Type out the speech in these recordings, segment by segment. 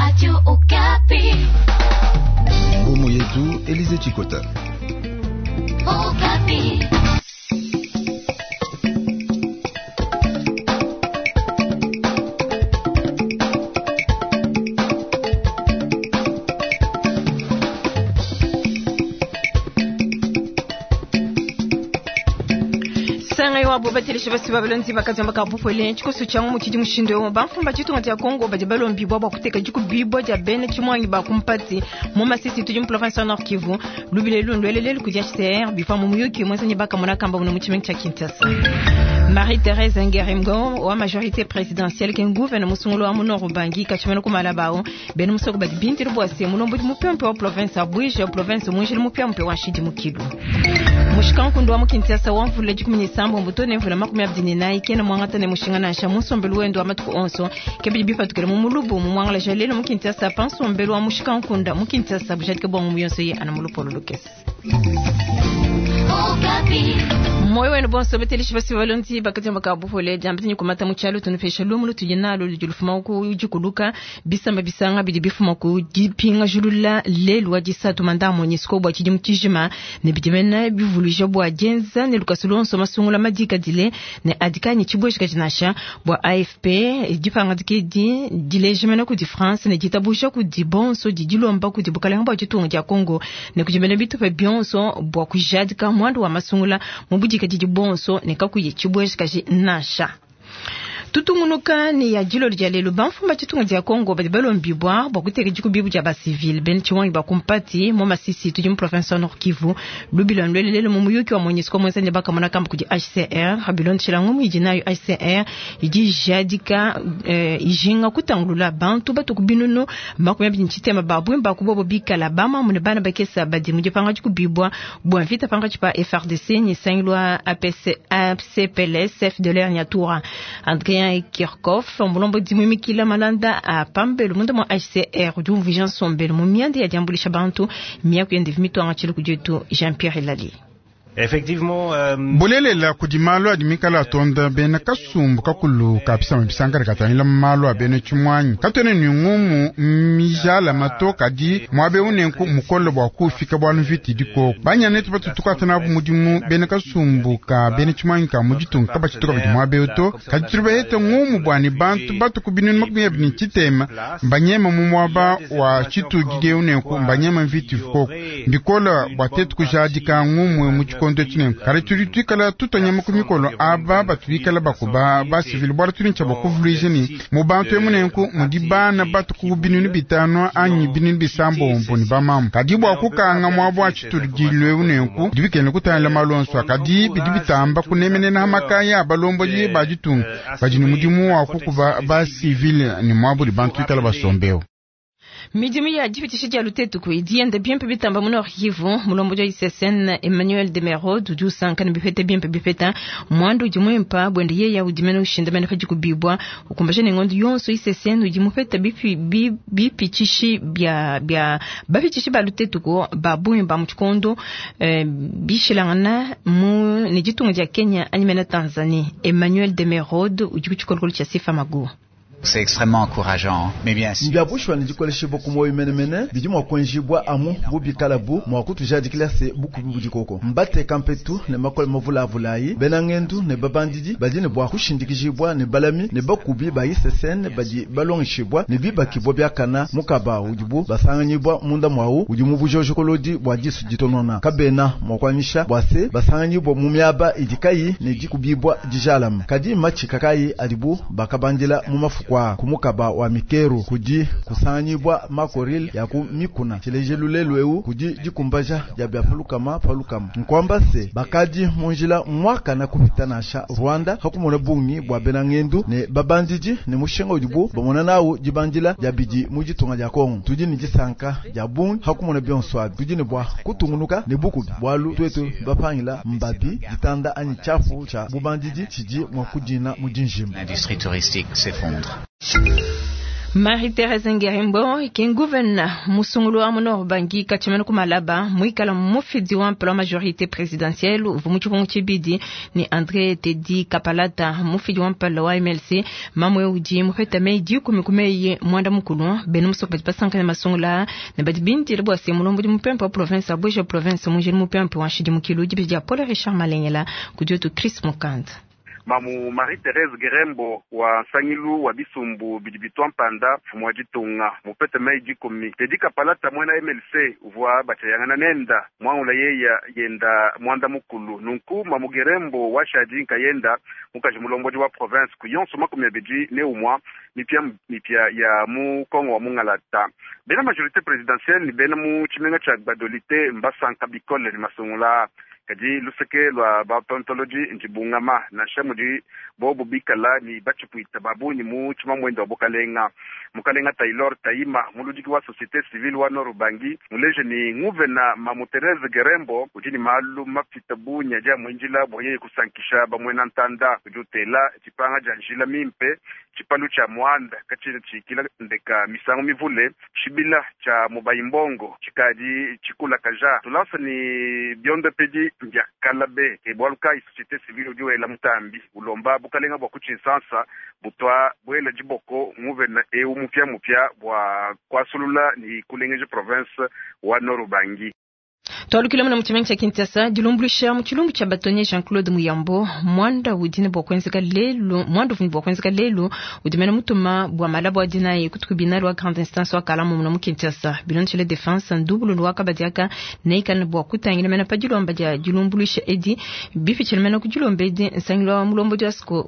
Radio Okapi. Ngumu yetu Elize Chikota. Okapi. Sanga wabo batelesha basi babalonzi bakazamba ka bupole tshikoso tshia mu tshidi mushindo yo bamfumba tshitunga tshia Congo badi balombibwa bua kuteka dikubibwa dia bene tshimwangi ba kumpati mu Masisi tudi mu province ya Nord Kivu lubile lundu kudi HCR bifa mu muyuki mwenzanyi bakamona kamba muno mu tshimenga tshia Kinshasa. Marie-Thérèse Ngeremgo wa majorité présidentielle ke nguvene musungulu wa munoro bangi kachimene kumala bao bene musoko badi bintili bua se mulombo mupempe wa province ya Bwije province mwinjili mupempe wa nshidi mukilu. Mushikankundu wa mu Kinshasa wa mvula 17 mbuto ne mvula 24 kena mwangata ne mushinga nansha musombelu wendo wa matuku onso kebidi bifatukile mu mulubu mu mwangala jalelo mu Kinshasa pansombelu wa mushikankunda mu Kinshasa bujadike bwa mu yonso ye ana mulupolo lukese. Okapi. Moyo wenu bonso betelishi basi balonzi bakati baka buhole jambi kumata mu cyalo tunufesha lumu lutuje nalo lujulufuma ku jikuluka bisamba bisanga bidi bifuma ku dipinga julula lelu wa disatu manda MONUSCO bwa tshidi mutijima ne bidimena bivuluja bwa dienza ne lukasu lonso masungula madika dile ne adikani tshibweshika tshinasha bwa AFP dipanga dikedi dilejemena ku di France ne ditabusha ku di bonso di dilomba ku di bukalenga bwa tshitunga dia Congo ne kujimena bitupa bionso bwa kujadika mwandu wa masungula mu budika didi bonso ne kakuye tshibweshika nasha. Tutungunuka ni ya jilo lya lelo bamfumba tshitunga dia Congo badi balombibwa bwa kuteka dikubibu dia basivile bene tshimwangi bakumpati mo Masisi tudi mu province ya Nord Kivu lubila ndwelelelo mu muyuki wa MONUSCO mwenzani bakamona kamba kudi HCR habilondishila ngumu idi nayo HCR idi jadika ijinga kutangulula bantu batu binunu 20 tshitema babwimba kubobo bikala bama ne bana bakesa badi mu dipanga dikubibwa bwa mvita panga tshipa FRDC ni sangilwa APC ACPLS FDLR Nyatura Adrien Kirchhoff mulombo dimwimikila malanda a pambelo munda mwa HCR udi umvuija nsombelo mu mianda ya diambulisha bantu miaku yende vimitwanga tshili kudietu Jean-Pierre Elali. Effectivement, bulelela kudi malu adi mikala atonda bena kasumbu kakulu ka bisamba bisankala katangila malu a bena tshimwanyi katwene ni ngumu mijala mato kadi muabe unenku mukolo bua kufika bwalu mvita dikoko banyana etu batutuka nabu mudimu bena kasumbu ka bena tshimwanyi ka muditunga kabashituka badi muabe uto kadi tuli bahete ngumu bwani bantu batu ku binunu 23 mbanyema mu muaba wa tshitudile unenku mbanyema mvita ikoko mbikola bua tetu kujadika ngumu mu tshikondo tshinene kale tudi tuikala tutonyama ku mikolo aba batu bikala bakuba basivile bwala tudi ntshia bakuvuluija ni mu bantu emunenku mudi bana batu ku binunu 5 anyi binunu 6 ni bamamu kadi bua kukanga muabu wa tshitudilo eunenku bidi bikene kutangila malu onso kadi bidi bitamba kunemenena makaya a balombodi ba ditunga badi ne mudimu wa kukuba basivile ni muabu di bantu bikala basombeo. Midimu ya dipitisha dia lutetuku idi yenda bimpe bitamba mu Nord Kivu mulombo dia ICSN Emmanuel Demerode udi usanka ne bipeta bimpe bipeta mwandu udi muimpa bwende yeya udi mene ushindamene pa dikubibwa ukumbaja ne ngondo yonso ICSN udi mupeta bipitshishi bia bia bapitshishi ba lutetuku ba bumba mu tshikondo bishilangana mu ne ditunga dia Kenya anyi mene Tanzanie. Emmanuel Demerode udi ku tshikolokolo tshia Sifa Magu. C'est extrêmement encourageant, mais bien sûr. Mbiabushwa ni dikoleshibwa ku moyo menemene bidi mua kuenjibwa amu bubikala bu mua kutujadikila se bukubi budikoko mbateka mpetu ne makole mavulavulayi bena ngendu ne babandidi badi ne bua kushindikijibwa ne balami ne bakubi ba ICCN badi balongeshibwa ne bibakibwa biakana mukaba udibu basanganyibwa munda mwawu udi mu bujojokolodi bua disu ditonona kabena mua kuanyisha bua se basanganyibwa mu miaba idi kayi ne dikubibwa dijalama kadi matshika kayi adibu bakabandila mu mafuku kumukaba wa mikeru kudi kusanganyibwa makoril ya ku mikuna tshilejelu lelu eu kudi dikumbaja dia bia palukama palukama nkwamba se bakadi munjila mwakana kupita nasha Rwanda hakumona bungi bua bena ngendu ne babandidi ne mushinga udibu bamona nawu dibandila dia bidi mu ditunga dia Kongo tudi ne disanka dia bungi hakumona bionso abi tudi ne bua kutungunuka ne bukubi bualu twetu bapangila mbabi ditanda anyi tshiafu tshia bubandidi tshidi mua kudina mu dinjima. L'industrie touristique s'effondre. Marie-Thérèse Ngerembo ke nguvena musungulu wa mu Nord Ubangi katshimana ku Malaba muikala mufidi wa mpala wa majorité présidentielle uvua mu tshipungu tshibidi ni André Teddy Kapalata mufidi wa mpala wa MLC mamwe udi mupeta meyi 10 ku meyi mwanda mukulu bena musoko badi basankana masungula ne badi bindile bua se mulombodi mupempe wa province abuja province mujili mupempe wa nshidimukilu dibi dia Paul Richard Malengela kudi wetu Chris Mukanda. Mamu Marie-Thérèse Gerembo wa nsangilu wa bisumbu bidi bitwa mpanda mfumu wa ditunga mupete meyi 10 Teddy Kapalata mwena MLC uvua bachayangana nenda mwangula yeya yenda mwanda mukulu nunku Mamu Gerembo wa shadi nkayenda mukaji mulombodi wa province ku yonso 21 mipya mipya ya mu Kongo wa mungalata bena majorité présidentielle ni bena mu tshimenga tsha Gbadolite mbasanka bikole ni masungula kadi luseke lwa batontoloji njibungama nansha mudi bobu bikala ni bachipuita babunyi mu tshimamwendo wa bukalenga mukalenga Taylor Taima muludiki wa société civile wa Nord Ubangi muleje ni nguvena Mamu Therese Gerembo udi ni malu mapita bunya ja mwinjila bwaye kusankisha bamwena ntanda udi utela tshipanga ja njila mimpe tshipalu tsha mwanda katshina tshikila ndeka misango mivule tshibila tsha mubayimbongo tshikadi tshikula kaja tulasa ni bionde pedi mbia kalabe ebwaluka société civile udi wela mutambi ulomba bukalenga bwa kutshinsansa butwa bwela diboko nguvena eu mupya mupya bwa kwasulula ni kulengeja province wa Nord Ubangi. Twalukile muna mutshimenga tsha Kinshasa dilumbuluisha mu tshilumbu tsha batonye Jean-Claude Muyambo mwanda udi ne bua kuenzeka lelu mwanda uvuni bua kuenzeka lelu udi mena mutuma bua malabo adinayi ku tribunal wa grande instance wa Kalamu muna mu Kinshasa bilondeshile defense ndubululu wa kabadiaka neikala ne bua kutangila mena pa dilomba dia dilumbuluisha edi bipitshile mena ku dilomba edi nsangilu wa mulombodi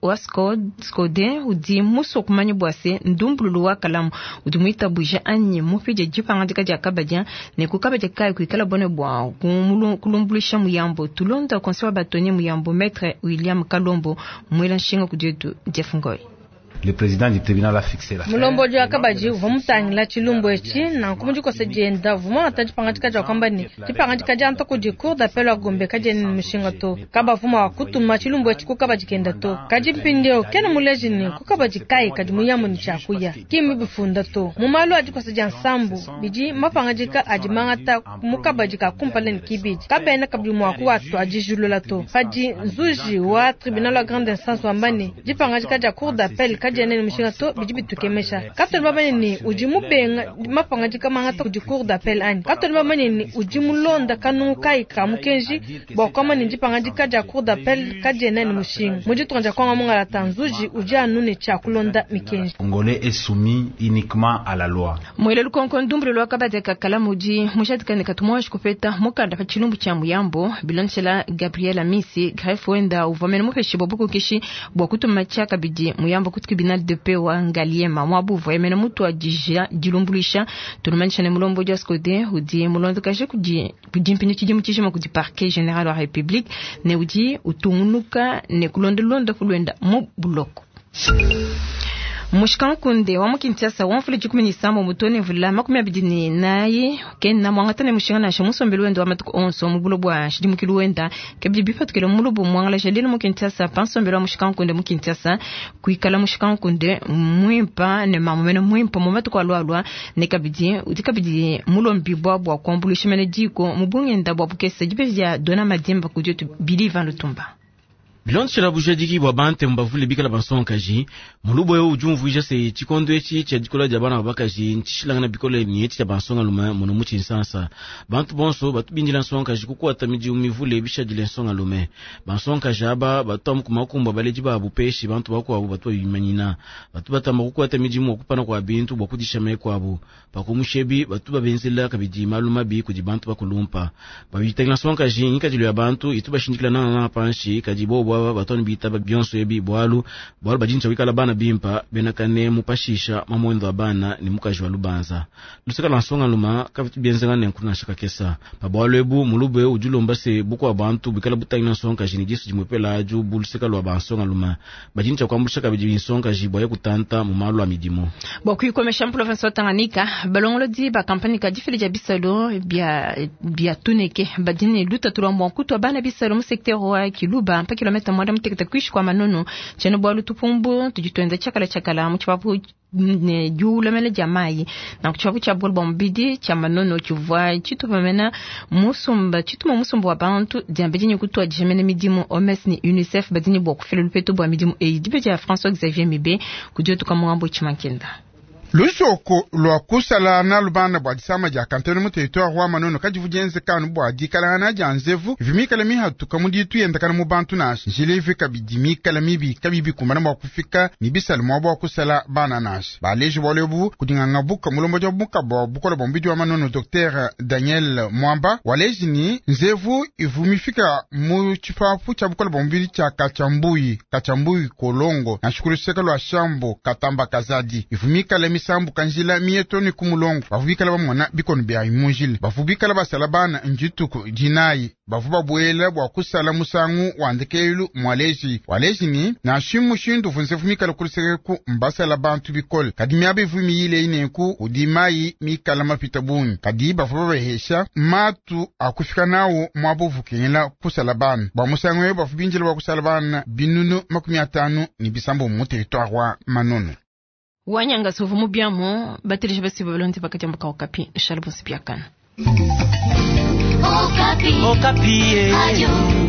wa Skode udi musue kumanya bua se ndumbululu wa Kalamu udi muitabuja anyi mupidie dipangadika dia kabadia ne ku kabadia kayi kuikala bone bua kulumbulisha Muyambo tulonda conseil wa batonye Muyambo maître William Kalombo mwela nshinga kudietu Jeff Ngoy. Le président du tribunal a fixé la Mulombodi wa kabaji uvua mutangila tshilumbu etshi nanku mudikosa dienda uvua muangata dipangadika dia kuamba ne dipangadika dia nta kudi cour d'appel wa Gombe kadiena ne mushinga to kabavuma wa kutuma tshilumbu etshi ku kabadi kenda to kadi mpindieu kena muleji ne ku kabadi kayi kadi Muyambo ne tshiakuya kimi bifunda to mu malu a dikosa dia nsambu bidi mapangadika adi mangata mu kabadi ka kumpala ne kibidi kabena kabidi mua kuwatu adijulula to padi nzuji wa tribunal wa grande instance wamba ne dipangadika dia cour d'appel kadiena ne mushinga to bidi bitukemesha katoni bamanye ne udi mubenga mapangadika mangata kudi cour d'appel anyi katoni bamanye ne udi mulonda kanungu kayi ka mukenji bua kuamba ne dipangadika dia cour d'appel kadiena ne mushinga mu ditunga dia Kongo mungalata nzuji udi anu ne tshia kulonda mikenji. Congolais est soumis uniquement à la loi. Mwele lukonko ndumbululu wa kabadi ka Kalamu udi mujadika ne katumwashi kupeta mukanda pa tshilumbu tshia Muyambo bilondeshela Gabriel Amisi greffe wenda uvua mene mupeshibua bukokeshi bua kutuma tshia kabidi Muyambo ku tribunal de paix wa Ngaliema mwabuvu emene mutu wa dija dilumbuluisha tulumanisha ne mulombodi wa Skode udi mulondekaje kudi mpinyu tshidimu tshijima kudi parquet général wa République ne udi utungunuka ne kulondolonda kulwenda mu buloko. Mushikankunde wa mu Kinshasa wa mfula 17 mutone mvula 24 kena mwangata ne mushinga nansha musombelu wenda wa matuku onso mu bulo bwa nshidimukilu wenda kebidi bipatukile mulubu mwangala jalile mu Kinshasa pansombelu wa mushikankunde mu Kinshasa kuikala mushikankunde mwimpa ne mamumene mwimpa mu matuku alwalwa ne kabidi udi kabidi mulombi bwa bwa kuambulisha mene diko mu bungenda bwa bukese dibeji dia Dona Madimba kudietu Bilivan Lutumba. Bilondeshela bujadiki bwa bante mbavule bikala bansonkaji mulubu eu udi umvuija se tshikondo etshi tshia dikola dia bana babakaji ntshishilangana bikole ne etshi tshia bansongalume muno mu tshinsansa bantu bonso batubindila nsonkaji kukuata midimu mivule bishadile nsongalume bansonkaji aba batu amu kumakumba baledi babu peshi bantu bakuabu batu babimanyina batu batamba kukuata midimu kupana kwa bintu bua kudisha meku abu pakumushebi batu babenzela kabidi malu mabi kudi bantu bakulumpa babitangila nsonkaji ngikadilu ya bantu itu bashindikila nangananga panshi kadi bobo batoni bitaba bionso ebi bwalu bwalu badinja wikala bana bimpa benakane mupashisha mamwendo wa bana ni mukaji wa lubanza luseka lwa nsongaluma kavitu bienzanga ne nkuna shaka kesa pa bwalu ebu mulube ujulomba se bukwa bantu bikala butangila nsonkaji ni disu dimwepela aju bu luseka lwa bansongaluma badinja kwambulisha kabidi nsonkaji bwaye kutanta mu malu a midimu bwa kuikomesha province wa Tanganyika balongolodi ba kampani ka difili dia bisalo bia tuneke badine lutatu lwa mwankutu wa bana bisalo mu secteur wa Kiluba mpa kilomètre kilomita mwanda mutekete kuinshi kua Manono. Tshiena bualu tupumbu tudi tuenza tshiakala tshiakala mu tshipapu ne diulamela dia mayi. Nanku tshipapu tshia bukole bua mubidi tshia Manono tshivua tshitupa mena musumba tshituma musumba wa bantu diambedi ne kutuadija mena midimu. OMS ne UNICEF badi ne bua kufila lupetu bua midimu eyi. Dibe dia François Xavier Mibe kudi otuka muambo Tshimankenda. Lusoko lwa kusala na lubanda bua disama dia kanteno mu territoire wa Manono kadivu dienzekanu bua dikalangana dia nzevu vimikala mihatuka mu ditu yendakana mu bantu nasha njila ivi kabidi mikala mibi kabibi kumbana bua kufika ni bisala mua bua kusala bana nasha baleji bualu ebu kudinganga buka mulombo dia buka bua bukola bua mubidi wa Manono Dr Daniel Mwamba waleji ni nzevu ivu mifika mu tshipapu tshia bukola bua mubidi tshia Kachambuyi Kolongo na shukuru lwa Shambo Katamba Kazadi ivu mikala misambu kanjila mietoni kumulongo bavubikala bamona bikono bya imunjile bavubikala basala bana njituku dinayi bavu babwela bua kusala musangu wandekelu mwaleji waleji ni nashimu shindu vunzefu mikala kulisekeku mbasala bantu bikole kadi miaba ivu miyile ineku udi mayi mikala mapita bungi kadi bavu babahesha matu akufika nawo mwabuvukengela kusala bana bua musangu eyo bavu binjila bua kusala bana binunu 50 mu territoire wa Manono. Wanyanga sovu mubiamo batelije basi balonzi bakajamba Okapi shalbonsi biakana. Okapi. Okapi. Radio.